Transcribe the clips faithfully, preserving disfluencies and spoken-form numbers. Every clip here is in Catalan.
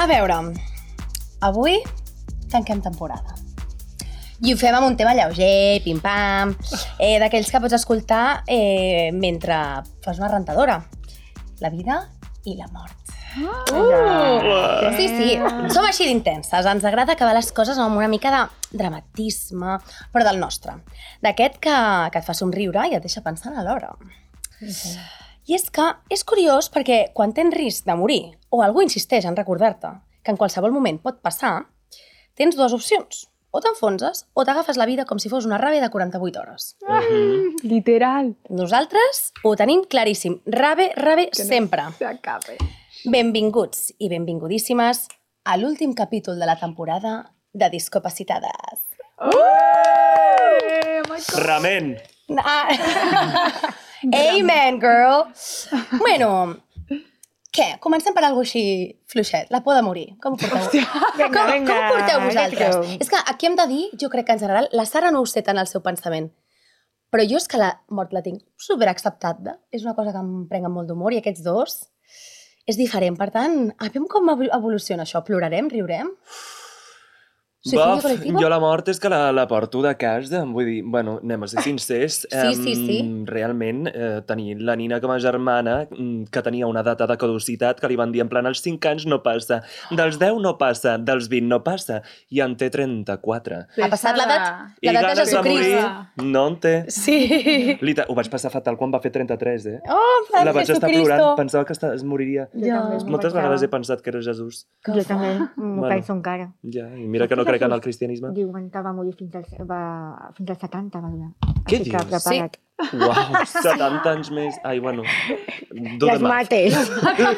veure, avui tanquem temporada. I ho fem amb un tema lleuger, pim-pam, eh, d'aquells que pots escoltar eh, mentre fas una rentadora. La vida i la mort. Uh! Sí, sí, som així d'intenses. Ens agrada acabar les coses amb una mica de dramatisme, però del nostre. D'aquest que, que et fa somriure i et deixa pensant a l'hora. Sí. I és que és curiós perquè quan tens risc de morir o algú insisteix en recordar-te que en qualsevol moment pot passar, tens dues opcions. O t'enfonses o t'agafes la vida com si fos una rave de quaranta-vuit hores. Uh-huh. Literal. Nosaltres ho tenim claríssim. Rave, rave, que sempre. No s'acabe. Benvinguts i benvingutíssimes a l'últim capítol de la temporada de Discapacitades. Oh! Oh Ramen! Ah. Amen, girl! Bueno, què? Comencem per alguna així fluixet. La por de morir. Com ho porteu? Venga, com, venga, com ho porteu vosaltres? ja És que aquí hem de dir, jo crec que en general, la Sara no ho sé tant al seu pensament, però jo és que la mort la tinc superacceptada. És una cosa que em prenc amb molt d'humor i aquests dos és diferent. Per tant, aviam com evoluciona això. Plorarem? Riurem? Bof, jo la mort és que la, la porto de casa, vull dir, bueno, anem a ser sincers, sí, sí, sí. Um, realment eh, tenir la Nina com a germana que tenia una data de caducitat que li van dir en plan als cinc anys no passa, dels deu no passa, dels vint no passa, i en té trenta-quatre. Ha passat l'edat de Jesucrist. No en té. Sí. Lita, ho vaig passar fatal quan va fer trenta-tres, eh? Oh, la vaig estar plorant, pensava que es moriria. Ja. Moltes vegades he pensat que era Jesús. Jo també, m'ho bueno, penso encara. Ja, i mira que no crec en el cristianisme. Diuen que va morir fins als, va, fins als setanta, va durar. Què dius? Sí. Uau, setanta anys més. Ai, bueno. Les mates.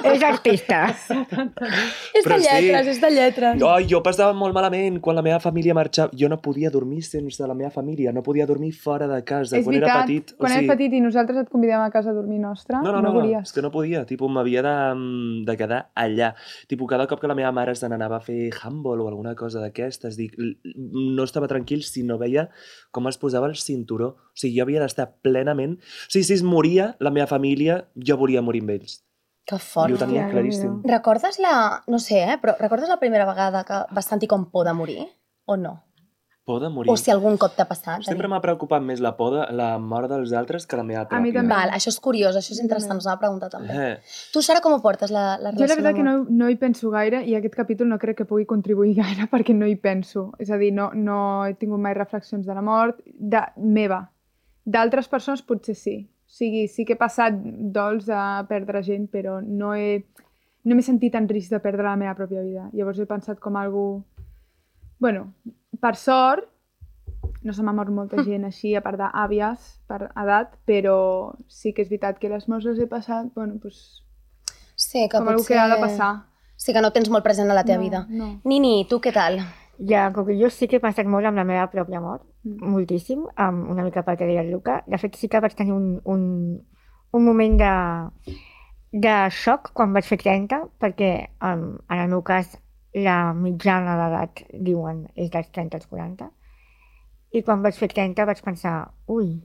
És artista. És de lletres, sí. és de lletres. Oh, jo passava molt malament quan la meva família marxava. Jo no podia dormir sense la meva família. No podia dormir fora de casa. És quan veritat, era petit. Quan o sigui... eres petit i nosaltres et convidem a casa a dormir nostra, no, no, no, no volies. És que no podia. Tipo, m'havia de, de quedar allà. Tipo, cada cop que la meva mare se n'anava a fer handball o alguna cosa d'aquestes, dic, no estava tranquil si no veia com es posava el cinturó. O sigui, jo havia d'estar plenament... O sigui, si es moria la meva família, jo volia morir amb ells. Que fort. I ho tenia claríssim. Recordes la... No sé, eh? Però recordes la primera vegada que vas sentir com por de morir? O no? Por de morir? O si algun cop t'ha passat? Sempre m'ha preocupat més la por de la mort dels altres que la meva pròpia. A mi també. Val, això és curiós, això és interessant, us anava a preguntar també. Eh. Tu, Sara, com ho portes, la, la relació? Jo la veritat que no, no hi penso gaire i aquest capítol no crec que pugui contribuir gaire perquè no hi penso. És a dir, no, no he tingut mai reflexions de la mort de, meva. D'altres persones potser sí. O sigui, sí que he passat dols de perdre gent, però no he no m'he sentit en risc de perdre la meva pròpia vida. Llavors he pensat com algú... Bueno, per sort, no se m'ha mort molta gent així, a part d'àvies per edat, però sí que és veritat que les morts les he passat, bueno, doncs... Sí, que com algú que ha de passar. Sí, que no tens molt present a la teva no, vida. No. Nini, tu què tal? Ja, com que jo sí que he passat molt amb la meva pròpia mort, mm. moltíssim, um, una mica pel que deia el Luca. De fet, sí que vaig tenir un, un, un moment de, de xoc quan vaig fer trenta, perquè um, en el meu cas la mitjana d'edat, diuen, és dels trenta als quaranta. I quan vaig fer trenta vaig pensar, ui,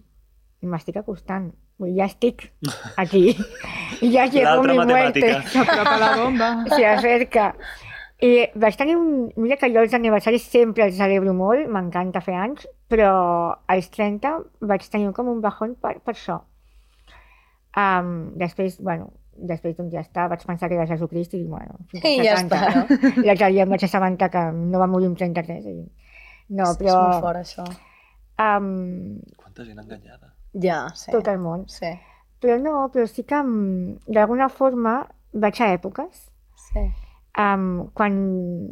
m'estic acostant, ja estic aquí, ja llevo mi muerte. S'apropa la bomba. Se acerca. I vaig tenir un... Mira que jo els aniversaris sempre els celebro molt, m'encanta fer anys, però als trenta vaig tenir com un bajón per, per això. Um, després, bueno, després doncs ja està, vaig pensar que era Jesucrist i bueno, fins I ja està, no? L'altre dia em vaig assabentar que no va morir amb trenta-tres. I... No, és, però... És molt fort, això. Um... Quanta gent enganyada. Ja, sí. Tot el món. Sí. Però no, però sí que d'alguna forma vaig a èpoques. Sí. Um, quan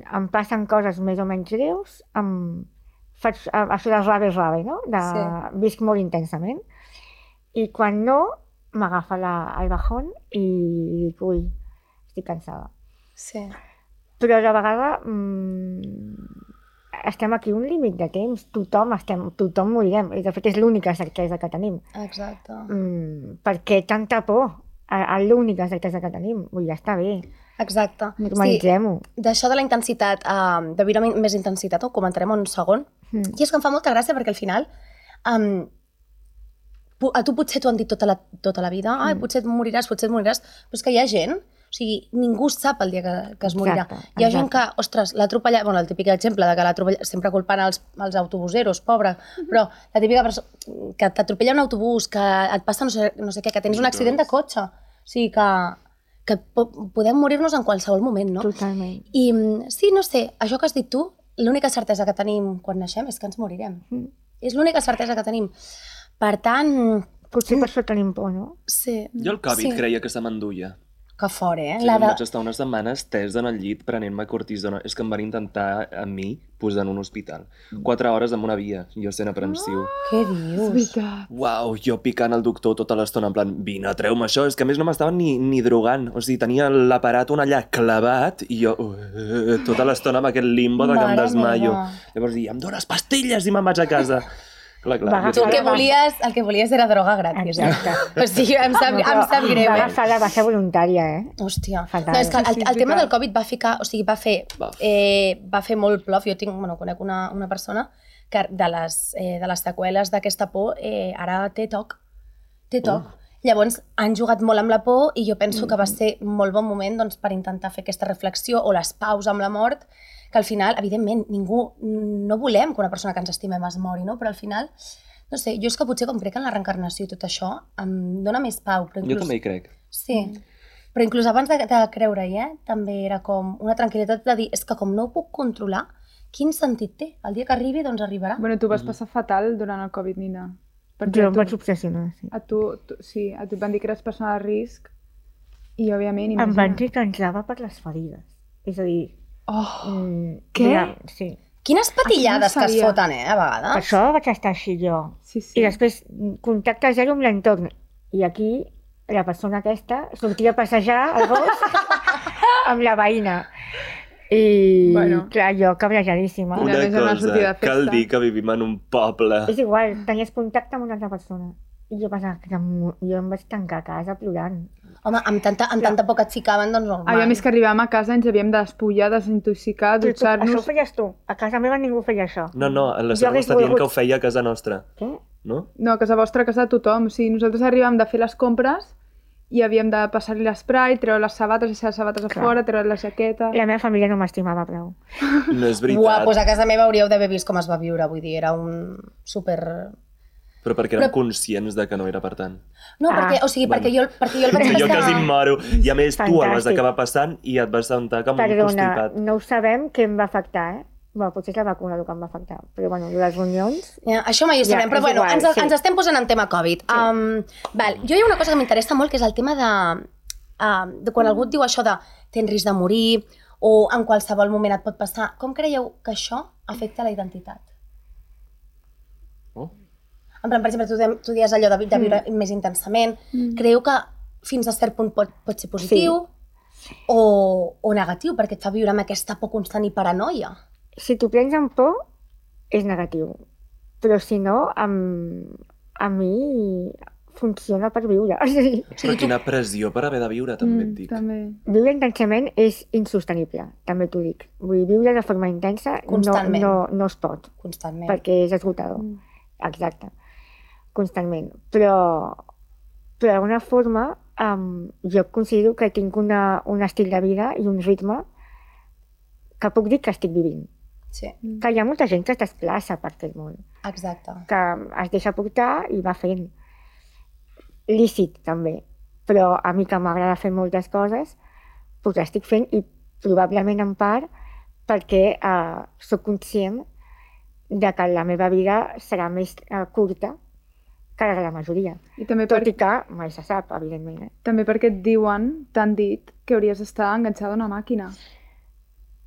em passen coses més o menys greus, um, faig uh, això de rave-rave, no? De, sí. Visc molt intensament. I quan no, m'agafa el bajón i dic, ui, estic cansada. Sí. Però a la vegada um, estem aquí un límit de temps, tothom, estem, tothom morirem, i de fet és l'única certesa que tenim. Exacte. Um, per què tanta por? L'única certesa que tenim, ui, ja està bé. Exacte. Normalitzem-ho. Sí, d'això de la intensitat, uh, de viure més intensitat, ho comentarem un segon. Mm. I és que em fa molta gràcia perquè al final um, a tu potser t'ho han dit tota la, tota la vida, ai, potser et moriràs, potser et moriràs, però és que hi ha gent O sigui, ningú sap el dia que, que es morirà. Exacte, Hi ha gent exacte. que, ostres, l'ha atropellat... Bueno, el típic exemple de que l'ha atropellat... Sempre culpant els, els autobuseros, pobre. Però la típica persona que t'atropella un autobús, que et passa no sé, no sé què, que tens un accident de cotxe. O sigui, que, que po podem morir-nos en qualsevol moment, no? Totalment. I sí, no sé, això que has dit tu, l'única certesa que tenim quan naixem és que ens morirem. Mm. És l'única certesa que tenim. Per tant... Potser per això tenim por, no? Sí. Jo el Covid Sí. creia que se m'enduia. Que fort, eh? Sí, La em de... vaig estar unes setmanes tès en el llit prenent-me cortisona. És que em van intentar a mi posar en un hospital. Quatre hores amb una via, jo sent aprensiu. Què És dius? veritat. Uau, jo picant el doctor tota l'estona, en plan, vine, treu-me això. És que a més no m'estaven ni, ni drogant. O sigui, tenia l'aparat un allà clavat i jo uh, tota l'estona amb aquest limbo de que em Mare desmaio. meva. Llavors dic, em dones pastilles i me'n vaig a casa. Clar, clar. Va jo Tu el que sempre- volies, el que volies era droga gratis. Eh? Exacte. O sigui, em sap, No, em sap greu, Va eh? agafar la baixa voluntària, eh? Hòstia. Fatal. No, és que el, Sí, sí, és el tema veritat. del Covid va ficar, o sigui, va fer, Va. eh, va fer molt plof. Jo tinc, bueno, conec una, una persona que de les, eh, de les seqüeles d'aquesta por eh, ara té toc. Té toc. Llavors, han jugat molt amb la por i jo penso que va ser molt bon moment doncs, per intentar fer aquesta reflexió o les paus amb la mort, que al final, evidentment, ningú, no volem que una persona que ens estimem es mori, no? Però al final, no sé, jo és que potser com crec en la reencarnació i tot això, em dona més pau. Però Jo inclús... també hi crec. Sí, però inclús abans de, de creure-hi, eh, també era com una tranquil·litat de dir, és que com no ho puc controlar, quin sentit té? El dia que arribi, doncs arribarà. Bueno, tu vas passar fatal durant el Covid, Nina. Jo a em tu, vaig obsessionar, sí. a tu, tu, sí, a tu et van dir que eres persona de risc i, òbviament, Em imagina. van dir que entrava per les ferides. És a dir... Oh, Mm, Què? ja, sí. Quines patillades Això no que es sabia. foten, eh, a Per vegades. això vaig estar així jo. sí, sí. I després, contacte zero amb l'entorn. I aquí, la persona aquesta sortia a passejar al bosc amb la veïna. I, Bueno. clar, jo cabrejadíssima. Una Una vez en una sortida cosa, de cal festa. dir que vivim en un poble. És igual, tenies contacte amb una altra persona. I jo pensava que em- jo em vaig tancar a casa plorant. Home, amb tanta, amb tanta por que et ficaven, doncs normal. Aviam, és que arribàvem a casa, ens havíem de despullar, desintoxicar, Però tu, això ho dutxar-nos... feies tu. A casa meva ningú feia això. No, no, la Jo Sara hagués està dient volgut- que ho feia a casa nostra, Què? no? No, a casa vostra, a casa de tothom. O sigui, nosaltres arribàvem de fer les compres i havíem de passar-li l'esprai, treure les sabates, deixar les sabates a Clar. fora, treure la jaqueta... La meva família no m'estimava prou. No és veritat. Uau, doncs a casa meva hauríeu d'haver vist com es va viure, vull dir, era un super... Però perquè érem Però- conscients de que no era per tant. No, Ah, perquè, o sigui, bueno. perquè, jo, perquè jo el vaig Que jo quasi em passar... moro. I a més, tu el vas Fantàstic. acabar passant i et vas sentar com un Perdona, constipat. no ho sabem què em va afectar, eh? Bueno, potser és la vacuna el que em va afectar. Però bueno, les reunions... Ja, això mai ho Ja, sabrem, però és bueno, igual, ens, sí. ens estem posant en tema Covid. Sí. Um, val, jo hi ha una cosa que m'interessa molt, que és el tema de, uh, de quan algú et diu això de tens risc de morir o en qualsevol moment et pot passar. Com creieu que això afecta la identitat? Oh. En plan, per exemple, tu, de- tu dies allò de, vi- de viure mm. més intensament. Mm. Creieu que fins a cert punt pot, pot ser positiu sí. o, o negatiu, perquè et fa viure amb aquesta por constant i paranoia? Si t'ho prens amb por, és negatiu. Però si no, amb... a mi funciona per viure. O sigui, Però quina pressió per haver de viure, també et Mm, dic. també. viure intensament és insostenible, també t'ho dic. Vull dir, viure de forma intensa no, Constantment. no, no es pot, Constantment. perquè és esgotador. Mm. Exacte. Constantment. Però, però d'alguna forma, um, jo considero que tinc una, un estil de vida i un ritme que puc dir que estic vivint. Sí, Que hi ha molta gent que es desplaça per aquest món, exacte. que es deixa portar i va fent. Lícit, també. Però a mi que m'agrada fer moltes coses, doncs estic fent i probablement en part perquè uh, sóc conscient de que la meva vida serà més uh, curta que la de la majoria. I també, Tot per, i que mai se sap, evidentment. Eh? també perquè et diuen, t'han dit, que hauries d'estar enganxada a una màquina.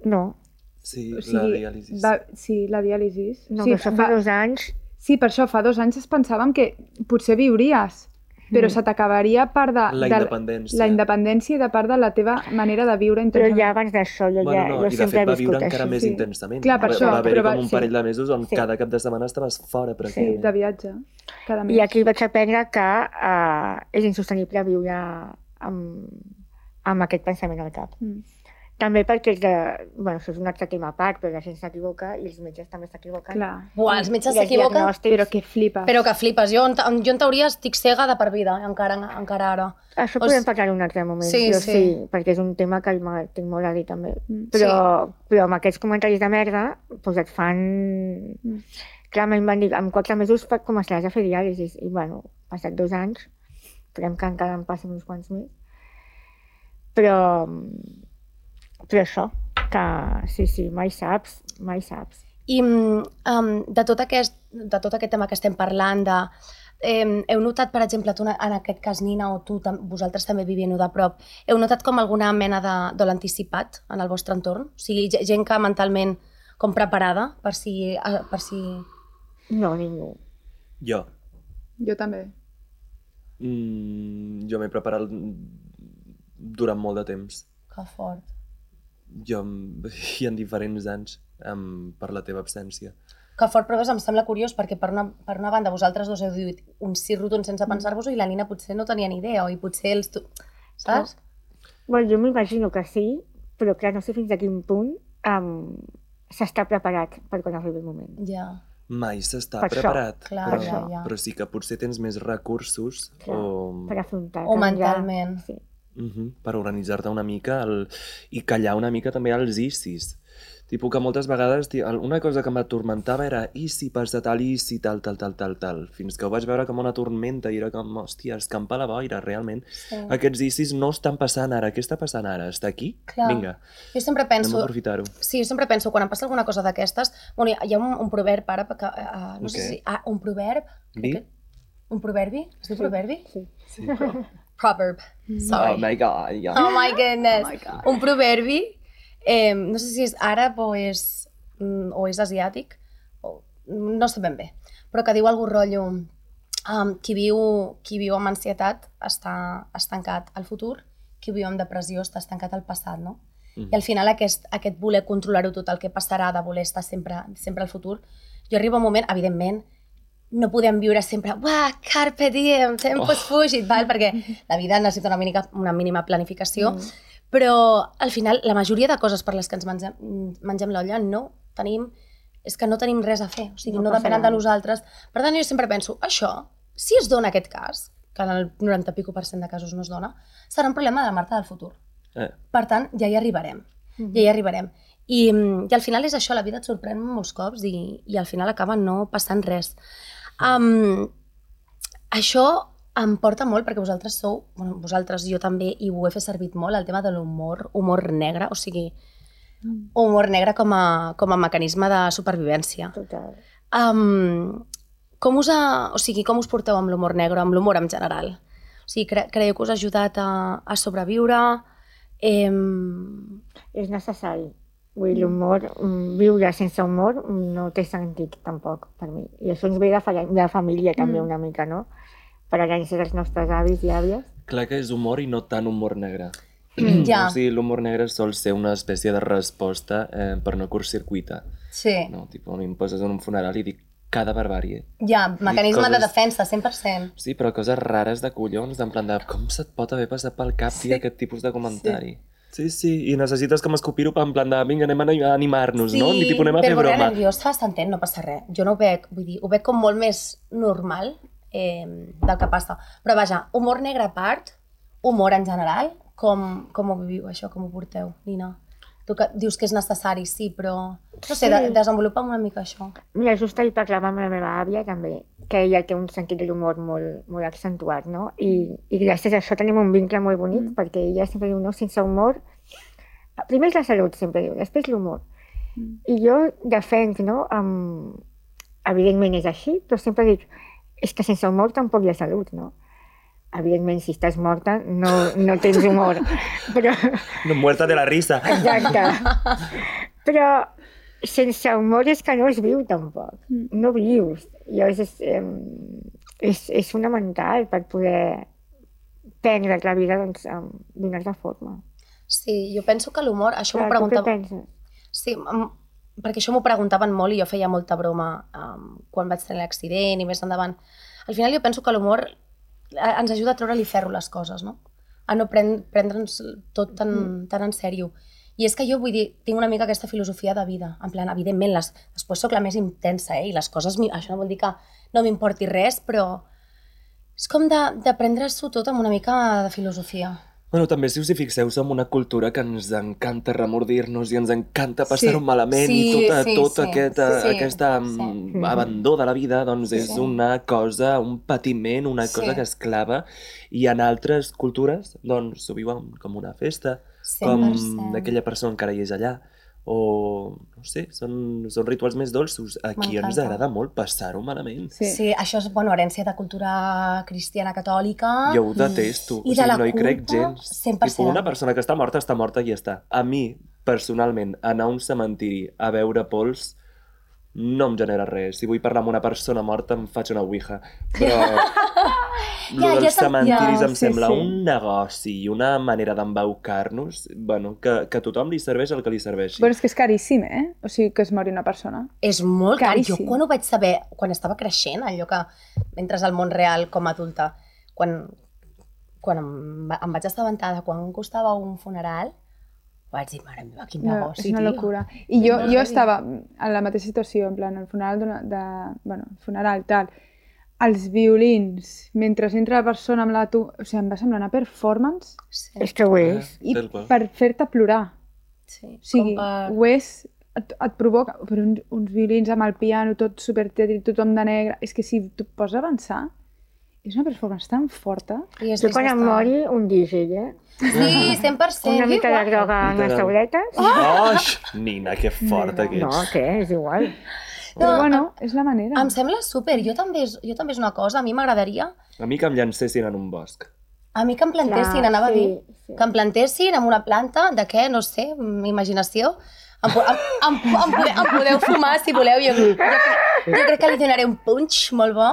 No, Sí, O la sigui, diàlisi. va, sí, la diàlisis. no sí, que això fa dos anys... sí, per això, fa dos anys es pensàvem que potser viuries, però Mm. se t'acabaria part de, La de independència. la independència i de part de la teva manera de viure Però intensament. ja abans d'això, jo, Bueno, ja, no, jo i de sempre fet he va viure viscut encara així. més sí. intensament. Clar, per va, això, va haver-hi però va- com un sí. parell de mesos on Sí. cada cap de setmana estaves fora, Sí, pràcticament. de viatge, cada mes. I aquí vaig aprendre que uh, és insostenible viure amb, amb aquest pensament al cap. Mm. També perquè és de... Bueno, això és un altre tema a part, però la gent s'equivoca i els metges també s'equivoquen. Clar. Buah, els metges I els s'equivoquen, diagnòstics- Però que flipes. però que flipes. Jo, en, jo en teoria estic cega de per vida, encara, encara ara. Això O podem s- parlar en un altre moment, Sí, però sí. sí. perquè és un tema que m'ha- tinc molt a dir també. Mm. Però, però amb aquests comentaris de merda, doncs et fan... Mm. Clar, em van dir, en quatre mesos fa- començaràs a fer diàlisis. I bueno, passat dos anys, esperem que encara em passin uns quants més. Però, però això, que sí, sí, mai saps, mai saps. I um, de, tot aquest, de tot aquest tema que estem parlant, de, eh, heu notat, per exemple, tu, en aquest cas, Nina, o tu, tam vosaltres també vivint-ho de prop, heu notat com alguna mena de dol anticipat en el vostre entorn? O sigui, ge- gent que mentalment com preparada per si... eh, Per si... No, ningú. Jo. Jo també. Mm, jo m'he preparat durant molt de temps. Que fort. Jo, i en diferents anys, um, per la teva absència. Que fort, però em sembla curiós perquè per una, per una banda vosaltres dos heu dit un sí rotund sense pensar-vos-ho i la Nina potser no tenia ni idea, o i potser els... Tu... Saps? Bueno, jo m'imagino que sí, però clar, no sé fins a quin punt um, s'està preparat per quan arribi el moment. Ja, Mai s'està Per això, preparat, clar, però, ja, ja. però sí que potser tens més recursos Clar, o, Per afrontar. O mentalment. Sí. Mhm, per organitzar-te una mica el, i callar una mica també els issis. Tipo que moltes vegades ti- el- una cosa que m'atormentava era i si passa tal, i si tal, tal, tal, tal, tal. Fins que ho vaig veure com una tormenta i era com, hòstia, escampa la boira, realment. sí. Aquests issis no estan passant ara. Què està passant ara? Està aquí? Clar. Vinga, Jo sempre anem penso... a aprofitar-ho. Sí, jo sempre penso, quan em passa alguna cosa d'aquestes... Bueno, hi ha un, un proverb ara, que, uh, no sé Ok. si... Ah, un proverb? Di? Crec que- Un proverbi? Es diu proverbi? Sí. Sí, però... Proverb. Sorry. Oh my god, ja. Oh my goodness. Oh my God. Un proverbi, eh, no sé si és àrab o és, mm, o és asiàtic, o, no sé ben bé, però que diu algú rotllo, um, qui, viu, qui viu amb ansietat està estancat al futur, qui viu amb depressió està estancat al passat, no? Mhm. I al final aquest, aquest voler controlar-ho tot, el que passarà, de voler estar sempre, sempre al futur, jo arribo a un moment, evidentment, no podem viure sempre, uah, carpe diem, tempus Oh. fugit, val? Perquè la vida necessita una mínima, una mínima planificació, Mm. però al final la majoria de coses per les que ens mengem, mengem l'olla no tenim, és que no tenim res a fer, o sigui, No no, passa depenen de res. nosaltres. Per tant, jo sempre penso, això, si es dona aquest cas, que en el noranta i pico per cent de casos no es dona, serà un problema de la Marta del futur. Eh, Per tant, ja hi arribarem, Mhm. ja hi arribarem. I, mm, I al final és això, la vida et sorprèn molts cops i, i al final acaba no passant res. Um, això em porta molt, perquè vosaltres sou, bueno, vosaltres, jo també, i ho he fet servir molt, el tema de l'humor, humor negre, o sigui, humor negre com a, com a mecanisme de supervivència. Total. Um, com us ha, o sigui, com us porteu amb l'humor negre, amb l'humor en general? O sigui, cre creieu que us ha ajudat a, a sobreviure? Em... És necessari. Vull dir, l'humor, mm, viure sense humor mm, no té sentit tampoc per mi. I això ens ve de, fa de família també Mm. una mica, no? Per herència dels nostres avis i àvies. clar que és humor i no tant humor negre. Ja. O sigui, l'humor negre sol ser una espècie de resposta eh, per no curtcircuitar. Sí, No? Tipo, a mi em poses en un funeral i dic cada barbàrie. ja, mecanisme de coses- defensa, cent per cent. Sí, però coses rares de collons, en plan de com se't pot haver passat pel cap, tia, aquest tipus de comentari. Sí, sí, i necessites com escopir-ho en plan de vinga, anem a animar-nos, no? I tipus, anem a fer però broma. nerviós fa s'entén, no passa res. Jo no ho veig, vull dir, ho veig com molt més normal eh, del que passa. Però vaja, humor negre a part, humor en general, com, com ho viviu això, com ho porteu, Nina? Tu que dius que és necessari, sí, però... No sé, de, Sí. desenvolupa'm una mica això. Mira, just ahir parlava amb la meva àvia també, que ella té un sentit de l'humor molt, molt accentuat, no? I, I gràcies a això tenim un vincle molt bonic, Mm. perquè ella sempre diu, no, sense humor... Primer és la salut, sempre diu, després l'humor. Mm. I jo defenc, no? Um, evidentment és així, però sempre dic, és que sense humor tampoc hi ha salut, no? Evidentment, si estàs morta, no, no tens humor. Però, No, muerta de la risa. exacte. Però sense humor és que no es viu tampoc. Mm. No vius. Llavors és, em, és, és fonamental per poder prendre la vida doncs, em, d'una altra forma. Sí, jo penso que l'humor, això m'ho Clar, tu què preguntava... penses? Sí, em- perquè això m'ho preguntaven molt i jo feia molta broma um, quan vaig tenir l'accident i més endavant. Al final jo penso que l'humor eh, ens ajuda a treure-li ferro les coses, no? A no pren prendre'ns tot tan, tan en sèrio. I és que jo vull dir, tinc una mica aquesta filosofia de vida, en plan, evidentment, les, després sóc la més intensa, eh? I les coses, això no vol dir que no m'importi res, però és com de, de prendre-s'ho tot amb una mica de filosofia. Bueno, també si us hi fixeu, som una cultura que ens encanta remordir-nos i ens encanta passar-ho Sí. malament Sí, i tot, sí, tot sí, aquest, sí, aquesta sí. mm, abandó de la vida doncs és Sí. una cosa, un patiment, una cosa Sí. que esclava, i en altres cultures doncs s'ho viuen com una festa, cent per cent. com aquella persona encara hi és allà, o no sé, són, són rituals més dolços. Aquí ens M'encanta. agrada molt passar-ho malament. Sí. Sí, això és, bueno, herència de cultura cristiana catòlica. Jo ho detesto, I o de sigui, la no hi crec culpa, gens. cent per cent. Tipo, una persona que està morta, està morta i ja està. A mi, personalment, anar a un cementiri a veure pols no em genera res. Si vull parlar amb una persona morta, em faig una ouija. Però Ja, lo ja dels t'en- cementiris ja, em sí, sembla sí. un negoci i una manera d'embaucar-nos, bueno, que, que a tothom li serveix el que li serveixi. Però és que és caríssim, eh? O sigui, que es mori una persona. És molt car. Jo Caríssim. quan ho vaig saber, quan estava creixent, allò que entres al món real com a adulta, quan, quan em, va- em vaig assabentar de quan costava un funeral, vaig dir, mare meva, quin No, negoci, és una tio. locura. I jo, molt jo heavy. estava en la mateixa situació, en plan, el funeral d'una- de... Bueno, el funeral, tal. Els violins, mentre entra la persona amb la tu... O sigui, em va semblar una performance Sí, És que ho és. i Tal qual. per fer-te plorar. sí. O sigui, Com per... ho és... Et, et provoca... Però uns, uns violins amb el piano, tot supertètric, tothom de negre... És que si tu pots avançar, és una performance tan forta. I és Jo quan em bastant- mori, un dígil, eh? Sí, cent per cent. Una mica de igual. droga en les Literal. tauletes. Oix! Nina, que forta que No, ets. què? És igual. Però No, bueno, és la manera. Em sembla súper. Jo també, és, jo també és una cosa, a mi m'agradaria, A mi que em llancessin en un bosc. a mi que em plantessin, Clar, anava sí, a dir, sí. que em plantessin en una planta, de què, no sé, mm, imaginació. Em, po- em, em, em, podeu, em podeu fumar si voleu, jo, jo, jo crec que li donaré un punch molt bo.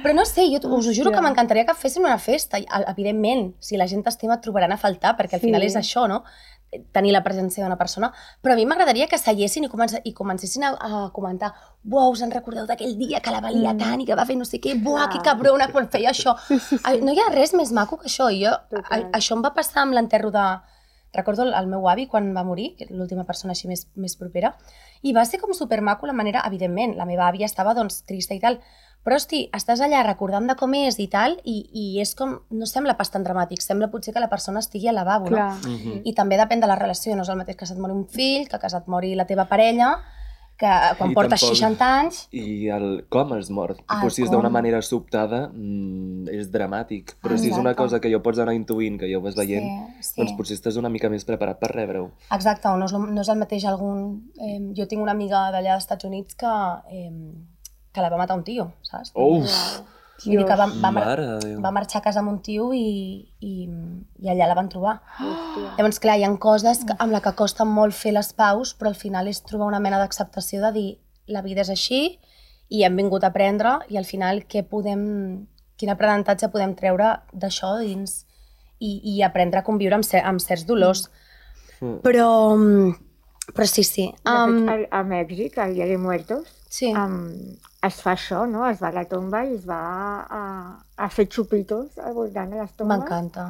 Però no sé, jo us ho juro Hòstia. que m'encantaria que fessin una festa. I, evidentment, si la gent t'estima et trobaran a faltar, perquè al Sí. final és això, no? Tenir la presència d'una persona. Però a mi m'agradaria que seiessin i, comença, i comencessin a, a comentar «Buah, us en recordeu d'aquell dia que la valia Mm. tant i que va fer no sé què? Buah, que cabrona quan feia això!» Ai, no hi ha res més maco que això. I jo, a, Total. això em va passar amb l'enterro de... Recordo el, el meu avi quan va morir, que era l'última persona així més, més propera, i va ser com supermaco la manera, evidentment, la meva àvia estava doncs trista i tal, però hosti, estàs allà recordant de com és i tal, i, i és com, no sembla pas tan dramàtic, sembla potser que la persona estigui al lavabo, Clar. no? Mhm. I també depèn de la relació, no és el mateix que se't mori un fill, que que se't mori la teva parella, que quan I portes tampoc- seixanta anys... I el com es mor. Ah, Tipus, si és com. d'una manera sobtada, mm, és dramàtic. Però si és una Exacte. cosa que jo pots anar intuint, que ja ho vas veient, Sí, sí. doncs potser estàs una mica més preparat per rebre-ho. Exacte, no és, lo- no és el mateix algun... Eh, jo tinc una amiga d'allà dels Estats Units que, eh, que la va matar un tio, saps? Uf! Vull dir que va, va, mar Mare de Déu. va marxar a casa amb un tio i, i, i allà la van trobar. Hòstia. Llavors, clar, hi ha coses que, amb la que costa molt fer les paus, però al final és trobar una mena d'acceptació de dir la vida és així i hem vingut a aprendre i al final què podem, quin aprenentatge podem treure d'això dins i, i aprendre a conviure amb, cer amb certs dolors. Mm. Però, però sí, sí. De Um, fet, a, a Mèxic, al Dia de Muertos, sí. um, es fa això, no? Es va a la tomba i es va a, a fer xupitos al voltant de les tombes. M'encanta.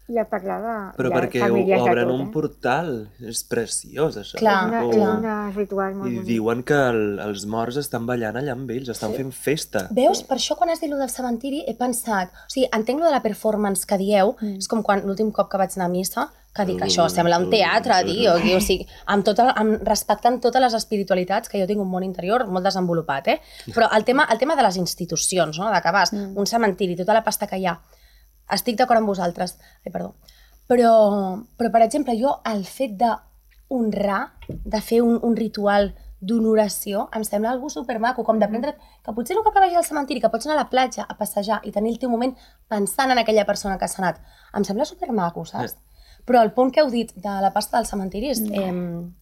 I a parlar de, Però de perquè famílies de obren tot, un eh? portal. És preciós, això. Clar, És, una, O- és clar. un ritual molt I bonic. diuen que el, els morts estan ballant allà amb ells, estan Sí. fent festa. Veus? Per això quan has dit lo del cementiri he pensat... O sigui, entenc lo de la performance que dieu, Mm. és com quan l'últim cop que vaig anar a missa, que dic, això sembla un teatre, tio. O sigui, amb tot el, amb, respectant totes les espiritualitats, que jo tinc un món interior molt desenvolupat, eh? Però el tema, el tema de les institucions, no? De que vas, Mm. un cementiri, tota la pasta que hi ha, estic d'acord amb vosaltres. Ai, perdó. Però, però, per exemple, jo el fet de honrar, de fer un, un ritual d'honoració, em sembla algo supermaco, com d'aprendre que potser no cal que vagis al cementiri, que pots anar a la platja a passejar i tenir el teu moment pensant en aquella persona que s'ha anat. Em sembla supermaco, saps? Però el punt que heu dit de la pasta del cementiri és... Eh,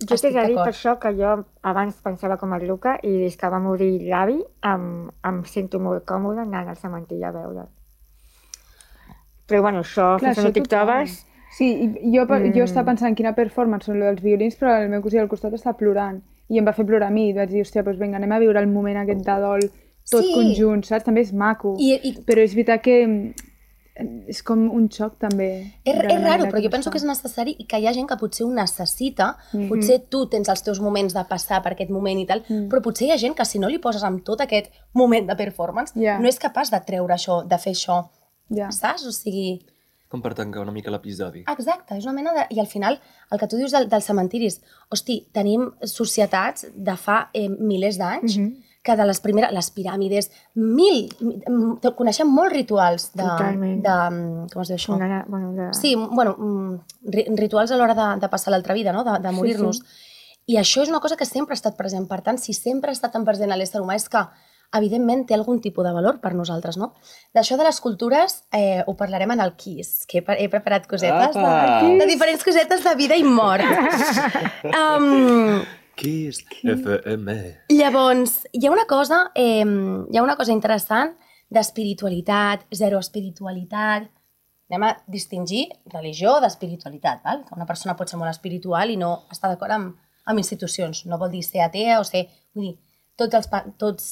Jo t'he de dir per això que jo abans pensava com el Luca i des que va morir l'avi em, em sento molt còmode anant al cementiri a veure'l. Però bueno, això, Clar, fins que no això t'hi tothom. trobes... Sí, i jo, mm. jo Mm. estava pensant quina performance són lo dels violins, però el meu cosí al costat està plorant. I em va fer plorar a mi. I vaig dir, hòstia, doncs vinga, anem a viure el moment aquest de dol tot Sí. conjunt, saps? També és maco. I, i, Però és veritat que mm, és com un xoc també. És, de la és raro, manera però jo que penso es que és fa. necessari i que hi ha gent que potser ho necessita. Mhm. Potser tu tens els teus moments de passar per aquest moment i tal, Mm. però potser hi ha gent que si no li poses amb tot aquest moment de performance, Ja. no és capaç de treure això, de fer això, Ja. saps? O sigui... Com per tancar una mica l'episodi. Exacte, és una mena de... I al final, el que tu dius del, dels cementiris, hosti, tenim societats de fa eh, milers d'anys Mhm. que de les primeres, les piràmides, mil, mm, coneixem molts rituals de... Totalment. de mm, com es diu això? Una, bueno, de... Sí, bueno, mm, ri- rituals a l'hora de, de passar l'altra vida, no? de, de Sí, morir-nos. sí. I això és una cosa que sempre ha estat present. Per tant, si sempre ha estat tan present a l'ésser humà és que, evidentment, té algun tipus de valor per nosaltres, no? D'això de les cultures eh, ho parlarem en el Kiss, que he, pre- he preparat cosetes Apa! de, de diferents cosetes de vida i mort. um, Kiss F M. Llavors, hi ha una cosa, eh, hi ha una cosa interessant d'espiritualitat, zero espiritualitat. Anem a distingir religió d'espiritualitat, val? Que una persona pot ser molt espiritual i no està d'acord amb, amb institucions. No vol dir ser atea o ser... Vull dir, tots, els, pa- tots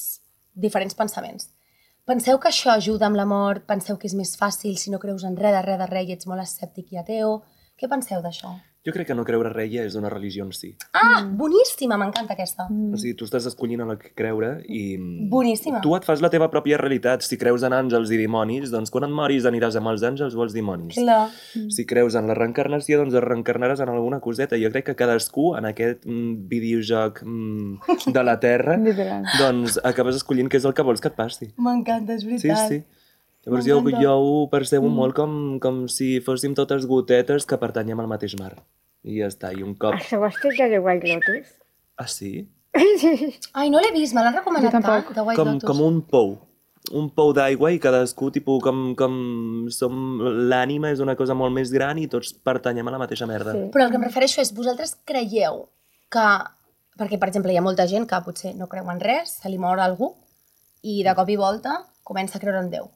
diferents pensaments. Penseu que això ajuda amb la mort? Penseu que és més fàcil si no creus en res de res de res i ets molt escèptic i ateu? Què penseu d'això? Jo crec que no creure res ja és una religió en si. Ah, boníssima, m'encanta aquesta. Mm. O sigui, tu estàs escollint en el que creure i... Boníssima. Tu et fas la teva pròpia realitat. Si creus en àngels i dimonis, doncs quan et moris aniràs amb els àngels o els dimonis. Clar. Si creus en la reencarnació, doncs es reencarnaràs en alguna coseta. Jo crec que cadascú en aquest mm, videojoc mm, de la Terra, Literal. doncs acabes escollint què és el que vols que et passi. M'encanta, és Sí, veritat. sí. Llavors jo, M'encanta. jo ho percebo mm. molt com, com si fóssim totes gotetes que pertanyem al mateix mar. I ja està, i un cop... Això ho has fet de The White Lotus? Ah, sí? Ai, no l'he vist, me l'han recomanat Jo tampoc. tant, de White Com, Lotus. com un pou. Un pou d'aigua i cadascú, tipus, com, com som... L'ànima és una cosa molt més gran i tots pertanyem a la mateixa merda. Sí. Però el que em refereixo és, vosaltres creieu que... Perquè, per exemple, hi ha molta gent que potser no creu en res, se li mor algú, i de cop i volta comença a creure en Déu.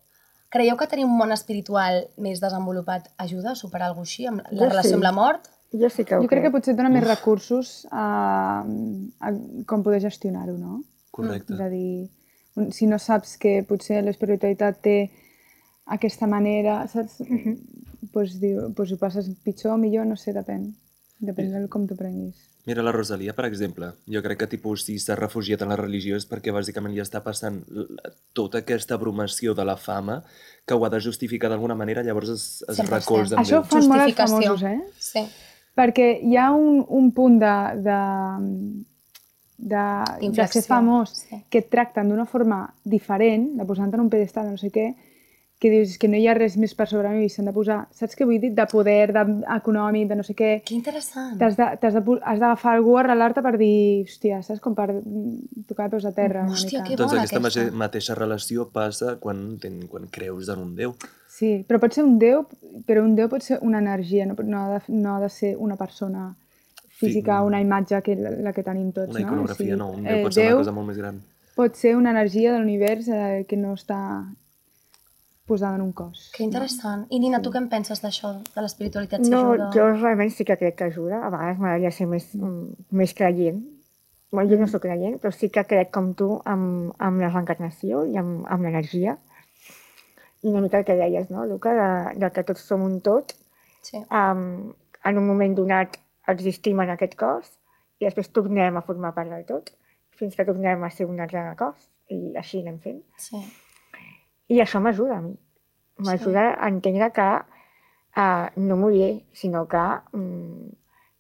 Creieu que tenir un món espiritual més desenvolupat ajuda a superar alguna cosa així, amb la Jo relació sí. amb la mort? Jo sí que ho Jo crec que crec. potser et dona més recursos a, a com poder gestionar-ho, no? Correcte. És a dir, un- si no saps que potser l'espiritualitat té aquesta manera, saps? Mhm. pues, diu, pues ho passes pitjor o millor, no sé, depèn. Depèn de com t'ho prenguis. Mira la Rosalia, per exemple. Jo crec que tipus, si s'ha refugiat en la religió és perquè bàsicament ja està passant l- tota aquesta abrumació de la fama que ho ha de justificar d'alguna manera, llavors es, es cent per cent. recolza en Això ho Déu. fan molt els Justificació. famosos, eh? Sí. Perquè hi ha un, un punt de, de, de, de D'inflexió. ser famós Sí. que et tracten d'una forma diferent, de posar-te en un pedestal, de no sé què, que dius que no hi ha res més per sobre mi, s'han de posar, saps què vull dir? De poder, de, econòmic, de no sé què. Que interessant. T'has de- t'has de pu- has d'agafar algú a arrelar-te per dir, hòstia, saps? Com per mm, tocar peus a terra. una Hòstia, mica. que Doncs bona aquesta aquesta. mateixa, mateixa relació passa quan, ten, quan creus en un Déu. Sí, però pot ser un déu, però un déu pot ser una energia, no, no, ha, de, no ha de ser una persona física, Sí. una imatge que la, la que tenim tots, Una no? iconografia, O sigui, no. Un Déu eh, pot ser Déu una cosa molt més gran. pot ser una energia de l'univers eh, que no està posada en un cos. Que interessant. I Nina, tu què en penses d'això, de l'espiritualitat? Si No, ajuda? jo realment sí que crec que ajuda. A vegades m'agradaria ser més, mm, més creient. Bueno, jo no soc creient, però sí que crec com tu amb, amb la reencarnació i amb, amb l'energia. I una mica el que deies, no, Luca, de, de que tots som un tot. Sí. Um, en un moment donat existim en aquest cos i després tornem a formar part del tot fins que tornem a ser un altre cos i així anem fent. Sí. I això m'ajuda a mi. M'ajuda a entendre que uh, no moriré, sinó que um,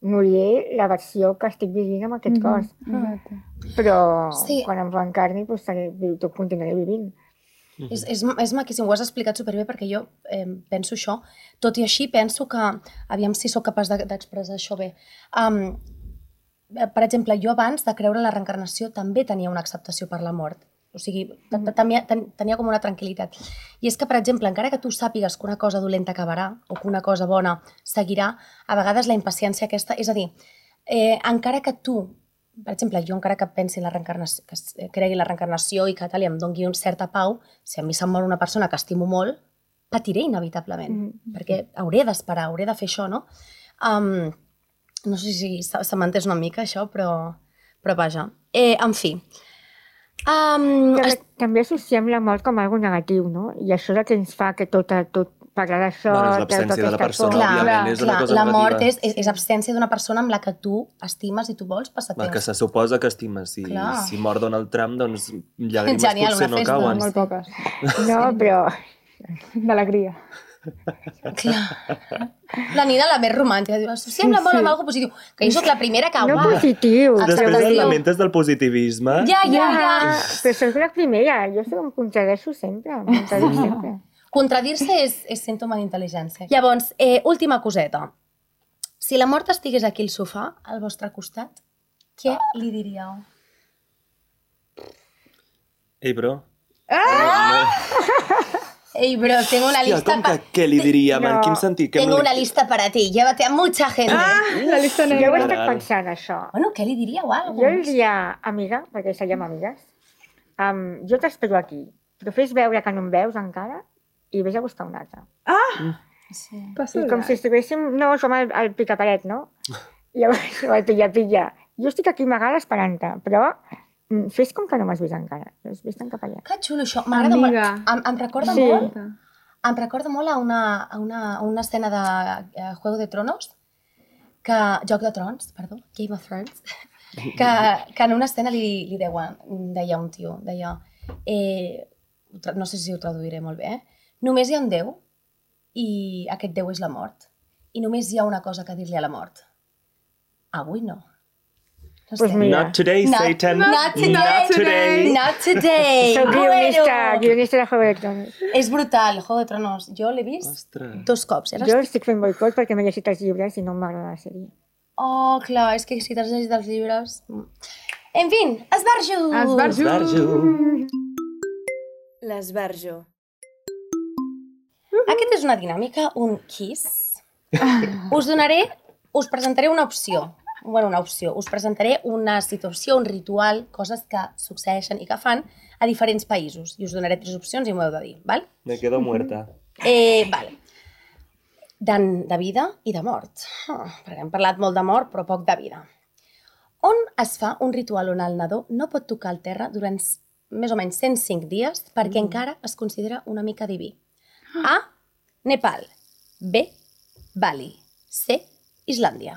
moriré la versió que estic vivint amb aquest Mhm, cos. Exacte. Però Sí. quan em reencarni, doncs, seré, tot continuaré vivint. És, és, és maquíssim, ho has explicat superbé perquè jo eh, penso això. Tot i així penso que, aviam si sóc capaç de- d'expressar això bé. Um, per exemple, jo abans de creure en la reencarnació també tenia una acceptació per la mort. O sigui, te- te- tenia, ten- tenia com una tranquil·litat. I és que, per exemple, encara que tu sàpigues que una cosa dolenta acabarà o que una cosa bona seguirà, a vegades la impaciència aquesta... És a dir, eh, encara que tu, per exemple, jo encara que pensi en la reencarnació, que s- cregui en la reencarnació i que tal, i em doni una certa pau, si a mi se'm mor una persona que estimo molt, patiré inevitablement, Mhm. perquè hauré d'esperar, hauré de fer això, no? Um, no sé si se, se m'entès una mica això, però, però vaja. Eh, en fi, um, Però es, també associem la mort com algo negatiu, no? I això és el que ens fa que tot, tot parlar d'això... Bueno, és treure l'absència de la aquesta persona, por. Clar, òbviament, és una clar, cosa la mort negativa. és, és, és absència d'una persona amb la que tu estimes i tu vols passar Va, que temps. se suposa que estimes. Si, Clar. si mor Donald Trump, doncs llàgrimes Genial, potser una no festa. cauen. Molt poques. No, però... D'alegria. Clar. La Nina, la més romàntica, diu, associem la molt amb alguna positiu. Que jo sóc la primera que... No uau. positiu. Exacte. Després Acceptació. et lamentes del positivisme. Ja, ja, ja. Però soc la primera. Jo soc, em contradeixo sempre. Em contradic sempre. Contradir-se és, és símptoma d'intel·ligència. Llavors, eh, última coseta. Si la mort estigués aquí al sofà, al vostre costat, què li diríeu? Ei, bro. Ei, bro, tengo una Hòstia, lista com que pa- què li diríem? No. En quin sentit? Què Tengo li- una lista para ti, llévate a mucha gente. Ah, la llista Jo ho he negra. estat Caram. pensant, això. Bueno, què li diríeu? Algo? Jo li diria, amiga, perquè seríem amigues, um, jo t'espero aquí, però fes veure que no em veus encara i vés a buscar un altre. Sí. Passa I com si estiguéssim, no, som al, al picaparet, no? I llavors, o al pilla-pilla. Jo estic aquí amagada esperant-te, però mm, fes com que no m'has vist encara. Vés-te'n cap allà. Que xulo això. M'agrada molt. Amiga. Em, em recorda Sí. molt em recorda molt a una, a una, a una escena de uh, Juego de Tronos, que, Joc de Trons, perdó, Game of Thrones, que, que en una escena li, li deuen, deia un tio, deia, eh, ho tra- no sé si ho traduiré molt bé, eh? Només hi ha un Déu i aquest Déu és la mort. I només hi ha una cosa que dir-li a la mort. Avui no. No Pues sé. mira. Not today, Not- Satan. not today. Not today. Not today. Soc guionista, Bueno. guionista de Juego de Tronos. És brutal, Juego de Tronos. Jo l'he vist Ostres. dos cops. Era... Jo estic fent boicot perquè m'he llegit els llibres i no m'agrada la sèrie. Oh, clar, és que si t'has llegit els llibres... En fin, esbarjo! Esbarjo. Esbarjo. L'esbarjo. Aquesta és una dinàmica, un kiss. Us donaré, us presentaré una opció. Bueno, una opció. Us presentaré una situació, un ritual, coses que succeeixen i que fan a diferents països. I us donaré tres opcions i m'ho heu de dir, val? Me quedo muerta. Eh, val. De, de vida i de mort. Ah, perquè hem parlat molt de mort, però poc de vida. On es fa un ritual on el nadó no pot tocar el terra durant s- més o menys cent cinc dies perquè encara es considera una mica diví? A. Nepal. B. Bali. C. Islàndia.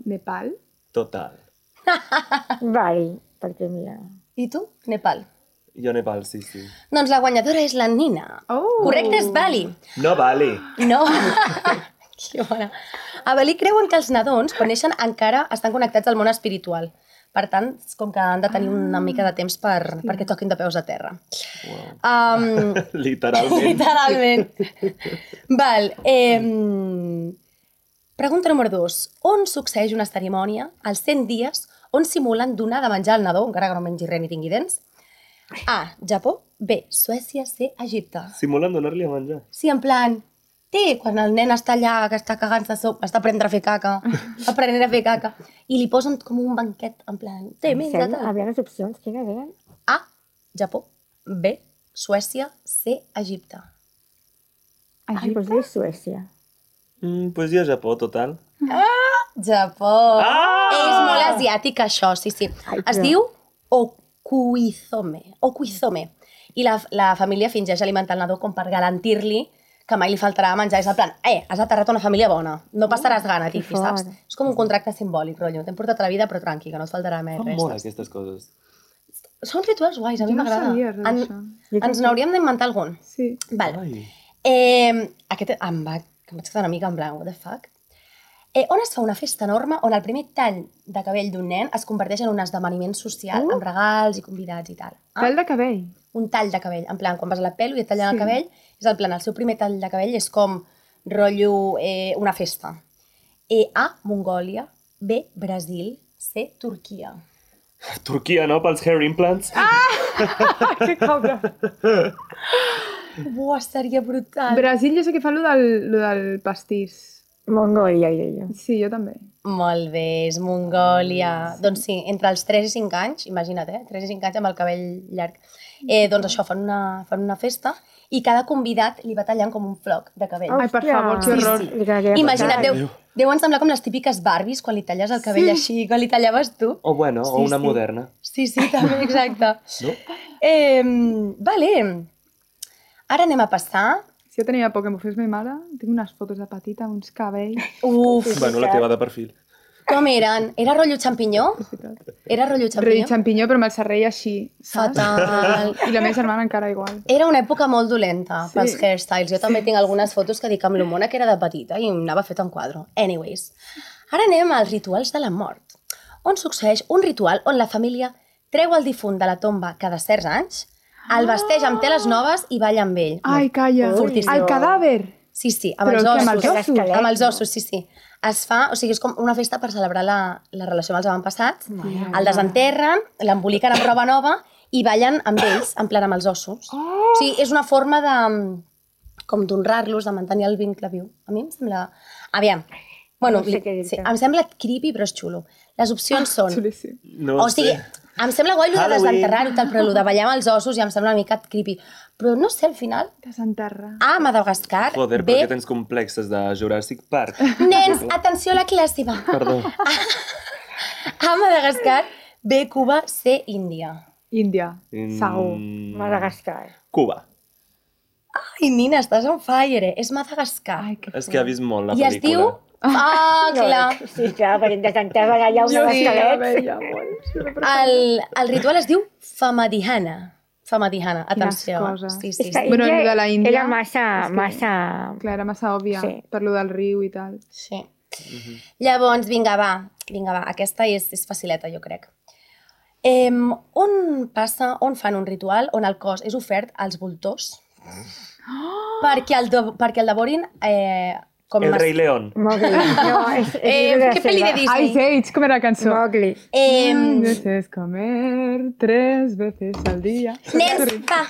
Nepal? Total. Vale, perquè mira... I tu? Nepal. Jo Nepal, sí, sí. Doncs la guanyadora és la Nina. Oh! Correcte, és Bali. No vale. No. Que bona. A Bali creuen que els nadons, quan neixen, encara estan connectats al món espiritual. Per tant, és com que han de tenir una mica de temps per, perquè toquin de peus a terra. Wow. Um, Literalment. literalment. Val. Eh, pregunta número dos. On succeeix una cerimònia als cent dies on simulen donar de menjar al nadó, encara que no mengi res ni tingui dents? A. Japó. B. Suècia. C. Egipte. Simulen donar-li a menjar. Sí, en plan, té, quan el nen està allà, que està cagant-se, so- està aprenent a fer caca, aprenent a fer caca, i li posen com un banquet, en plan, té, Em menja, sembla, tal. havia les opcions, quines eren? A. Japó. B. Suècia. C. Egipte. Ai, doncs és Suècia. Mm, pues jo Japó, total. Japó. Ah! És molt asiàtic, això, sí, sí. Ai, Es però- diu Okuizome. Okuizome. I la, la família fingeix alimentar el nadó com per garantir-li que mai li faltarà menjar. És el plan, eh, has aterrat una família bona, no passaràs gana, que Tifi, saps? fort. És com un contracte simbòlic, rotllo. T'hem portat a la vida, però tranqui, que no et faltarà més Fa res. molt saps? aquestes coses. Són rituals guais, a mi Jo no m'agrada. sabia res En- d'això. Ens n'hauríem d'inventar algun. Sí. Val. Ai. Eh, aquest em va... que em vaig quedar una mica en blanc, what the fuck? Eh, on es fa una festa enorme on el primer tall de cabell d'un nen es converteix en un esdeveniment social Uh. amb regals i convidats i tal. Ah? Pèl de cabell. Un tall de cabell, en plan, quan vas a la pelo i et tallen Sí. el cabell, és el plan, el seu primer tall de cabell és com rotllo eh, una festa. Eh, A, Mongòlia, B, Brasil, C, Turquia. Turquia, no? Pels hair implants? Que cabra. Buah, seria brutal. Brasil jo sé que fa lo del, lo del pastís. Mongòlia, diré jo. Sí, jo també. Molt bé, és Mongòlia. Doncs sí, entre els tres i cinc anys, imagina't, eh? tres i cinc anys amb el cabell llarg. Eh, doncs això, fan una, fan una festa i cada convidat li va tallant com un floc de cabell. Ai, per favor, que Sí, horror. sí. Li quedaria Imagina't, fatal. deu, deuen semblar com les típiques Barbies quan li talles el cabell així, quan li tallaves tu. O bueno, Sí, o una sí. moderna. Sí, sí, també, exacte. No? Eh, vale. Ara anem a passar Si Jo tenia por que m'ho fes ma mare. Tinc unes fotos de petita amb uns cabells. Uf, Bueno, la teva de perfil. com eren? Era rotllo xampinyó? Era rotllo Rei xampinyó? xampinyó, però amb el serrell així, saps? Fatal. I la meva germana encara igual. Era una època molt dolenta Sí. pels hairstyles. Jo també tinc algunes fotos que dic amb l'homona que era de petita i em anava fet en quadro. Anyways, ara anem als rituals de la mort, on succeeix un ritual on la família treu el difunt de la tomba cada certs anys, el vesteix amb teles noves i balla amb ell. Ai, calla. Fortíssim. El cadàver. Sí, sí, amb Però els què, ossos. amb els ossos? L'esquelet, Amb els no? ossos, sí, sí. Es fa, o sigui, és com una festa per celebrar la, la relació amb els avantpassats. El desenterren, l'emboliquen amb roba nova i ballen amb ells, en plan amb els ossos. Oh! O sigui, és una forma de com d'honrar-los, de mantenir el vincle viu. A mi em sembla... Aviam. Bueno, No sé què dir-te. sí, em sembla creepy, però és xulo. Les opcions són... Xulíssim. No o sigui, sé. em sembla guai el de Halloween. desenterrar-ho, tal, però el de ballar amb els ossos ja em sembla una mica creepy. Però no sé, al final... Desenterra. A Madagascar, Joder, B... però que tens complexes de Jurassic Park. Nens, atenció a la classe, va. Perdó. A Madagascar, B, Cuba, C, Índia. Índia. Mm, Segur. Madagascar. Cuba. Ai, Nina, estàs on fire, eh? És Madagascar. Ai, que És que ha vist molt la I es pel·lícula. diu... Ah, clar. Sí, clar, perquè em desenterra allà un Jo sí, la esquelet. veia molt. Sí, però- El, el ritual es diu Famadihana. Famadihana, Quines atenció. coses. Sí, sí, És que sí. Bueno, Índia el de la Índia era massa, és que- massa... Clar, era massa òbvia, Sí. per lo del riu i tal. sí. Llavors, vinga, va. Vinga, va. Aquesta és, és facileta, jo crec. Eh, on passa, on fan un ritual on el cos és ofert als voltors perquè, el de, perquè el devorin eh, com El mas- rei León. Mowgli. No, és, és Eh, llibre què pel·li de selva. Ai, Disney? Sage, com era la cançó? Mowgli. Eh, Veces comer tres veces al dia. Nens, va,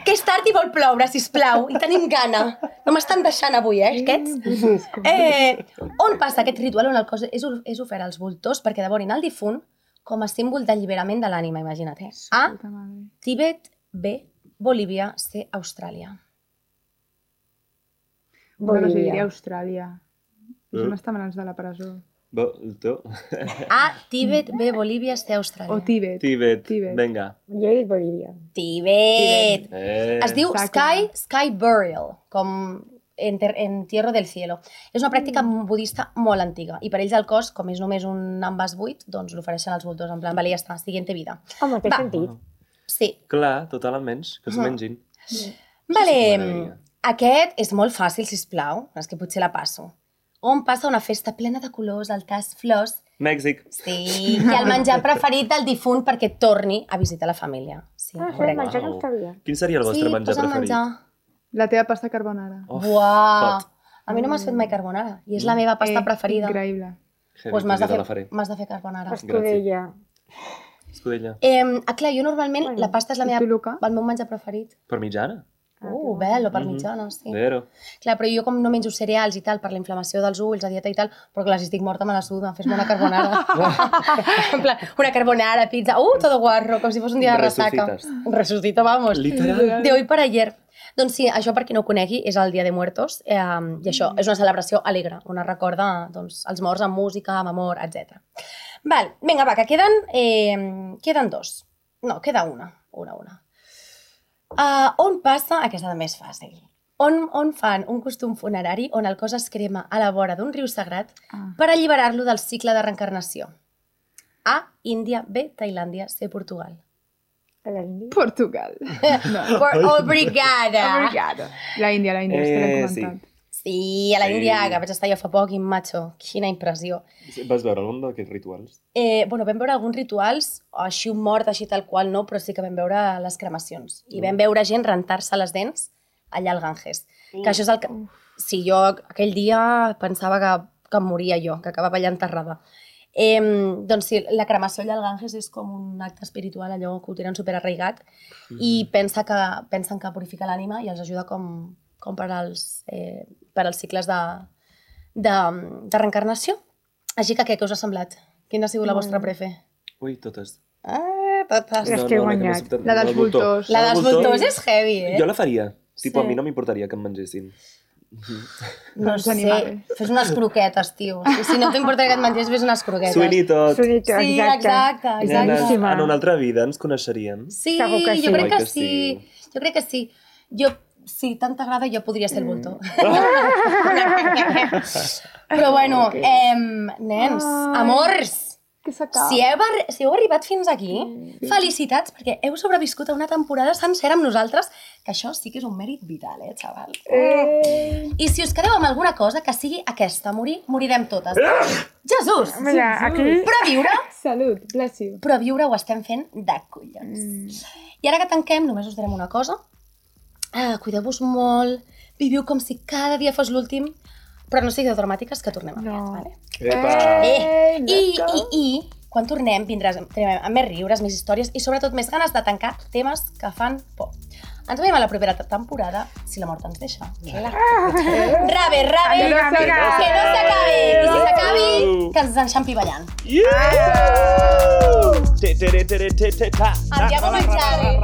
que és tard i vol ploure, sisplau, i tenim gana. No m'estan deixant avui, eh, aquests? Eh, on passa aquest ritual on el cos és, és ofert als voltors perquè devorin el difunt com a símbol d'alliberament de l'ànima, imagina't. Eh? A, Puta madre. Tíbet, B, Bolívia, C, Austràlia. Bueno, Bolívia. jo diria Austràlia. Això Eh? no està en mans de la presó. Bo, tu? A, Tíbet, B, Bolívia, C, Austràlia. O Tíbet. Tíbet. Tíbet. Vinga. Jo he dit Bolívia. Tíbet. Eh. Es diu Està Sky, Sky Burial, com enter, entierro del cielo. És una pràctica budista molt antiga i per ells el cos, com és només un envàs buit, doncs l'ofereixen als voltors, en plan, vale, ja està, siguiente vida. Home, té Va. sentit. Sí. Clar, total, almenys, que s'ho mengin. Vale, M'agradaria. aquest és molt fàcil, sisplau, és que potser la passo. On passa una festa plena de colors, altars, flors, Mèxic. sí, i el menjar preferit del difunt perquè torni a visitar la família. Sí, Ah, això correcte. el menjar no Wow. ho sabia. Quin seria el vostre sí, menjar posa'm preferit? menjar. La teva pasta carbonara. Oh, Buah! hot. A mi no m'has fet mai carbonara i és la meva pasta Eh, preferida. Increïble. Heavy, Doncs m'has de, pues jo te la fer, faré. m'has de fer carbonara. Escudella. Escudella. Eh, ah, clar, jo normalment Bueno. la pasta és la I meva, tu, Luca? el meu menjar preferit. Per mitjana? Uh, bello, per Mhm. mitjana, sí. Vero. Clar, però jo com no menjo cereals i tal, per la inflamació dels ulls, a dieta i tal, però clar, si estic morta me la suda, fes-me una carbonara. En plan, una carbonara, pizza, uh, todo guarro, com si fos un dia de ressaca. Resucites. Resucito, vamos. Literal. De hoy para ayer. Doncs sí, això per qui no ho conegui és el Dia de Muertos eh, i això és una celebració alegre, on es recorda doncs, els morts amb música, amb amor, etcètera. Val, vinga, va, que queden, eh, queden dos. No, queda una, una, una. Uh, on passa, aquesta també és fàcil, on, on fan un costum funerari on el cos es crema a la vora d'un riu sagrat Ah. per alliberar-lo del cicle de reencarnació? A, Índia, B, Tailàndia, C, Portugal. A l'Índia. Portugal. No. Por, obrigada! Obrigada. La Índia, la Índia, és que l'hem Eh, sí. comentat. Sí, a la Sí. Índia, que vaig estar jo fa poc i macho, quina impressió. Vas veure algun d'aquests rituals? Eh, bueno, vam veure alguns rituals, així un mort, així tal qual no, però sí que vam veure les cremacions. I vam veure gent rentar-se les dents allà al Ganges. Que això és el que... Sí, jo aquell dia pensava que, que em moria jo, que acabava allà enterrada. Eh, doncs sí, la cremació allà al Ganges és com un acte espiritual, allò que ho tenen superarraigat, i pensa que, pensen que purifica l'ànima i els ajuda com, com per, als, eh, per als cicles de, de, de reencarnació. Així que què, què us ha semblat? Quina ha sigut la vostra prefe? Ui, totes. Ah, totes. Les que he la m'ha guanyat. sobtat- La dels el voltor. voltors. La dels El voltor, voltors és heavy, eh? Jo la faria. Tipo, Sí. a mi no m'importaria que em mengessin. No Els sé, animals. fes unes croquetes, tio. Si, si no t'importa que et menges, fes unes croquetes. Suïni tot. Sonito, Sí, exacte. exacte, Nenes, exacte. Boníssima. en una altra vida ens coneixeríem. Sí, Segur que jo sí. crec Oi que que sí. sí. Jo crec que sí. Jo, si tant t'agrada, jo podria ser el voltor. Però bueno, eh, nens, amors, Que s'acaba. si heu, arri- si heu arribat fins aquí, felicitats, perquè heu sobreviscut a una temporada sencera amb nosaltres, que això sí que és un mèrit vital, eh, xaval? Eh, I si us quedeu amb alguna cosa, que sigui aquesta, morir, morirem totes. Jesús! Mira, aquí... Però viure, Salut, bless you. però viure ho estem fent de collons. I ara que tanquem, només us direm una cosa. Ah, cuideu-vos molt, viviu com si cada dia fos l'últim, però no sigueu dramàtiques, que tornem aviat, No. vale? Epa! Eh, let's I, go. i, i, quan tornem, vindràs amb, amb més riures, més històries i sobretot més ganes de tancar temes que fan por. Ens veiem a la propera temporada, si la mort ens deixa. Clar. Rabe, rabe, Que no s'acabi. que no s'acabi. I si s'acabi, que ens enxampi ballant. Yeah! Te, te, te, te, te, te, ta. Andiamo a mangiare.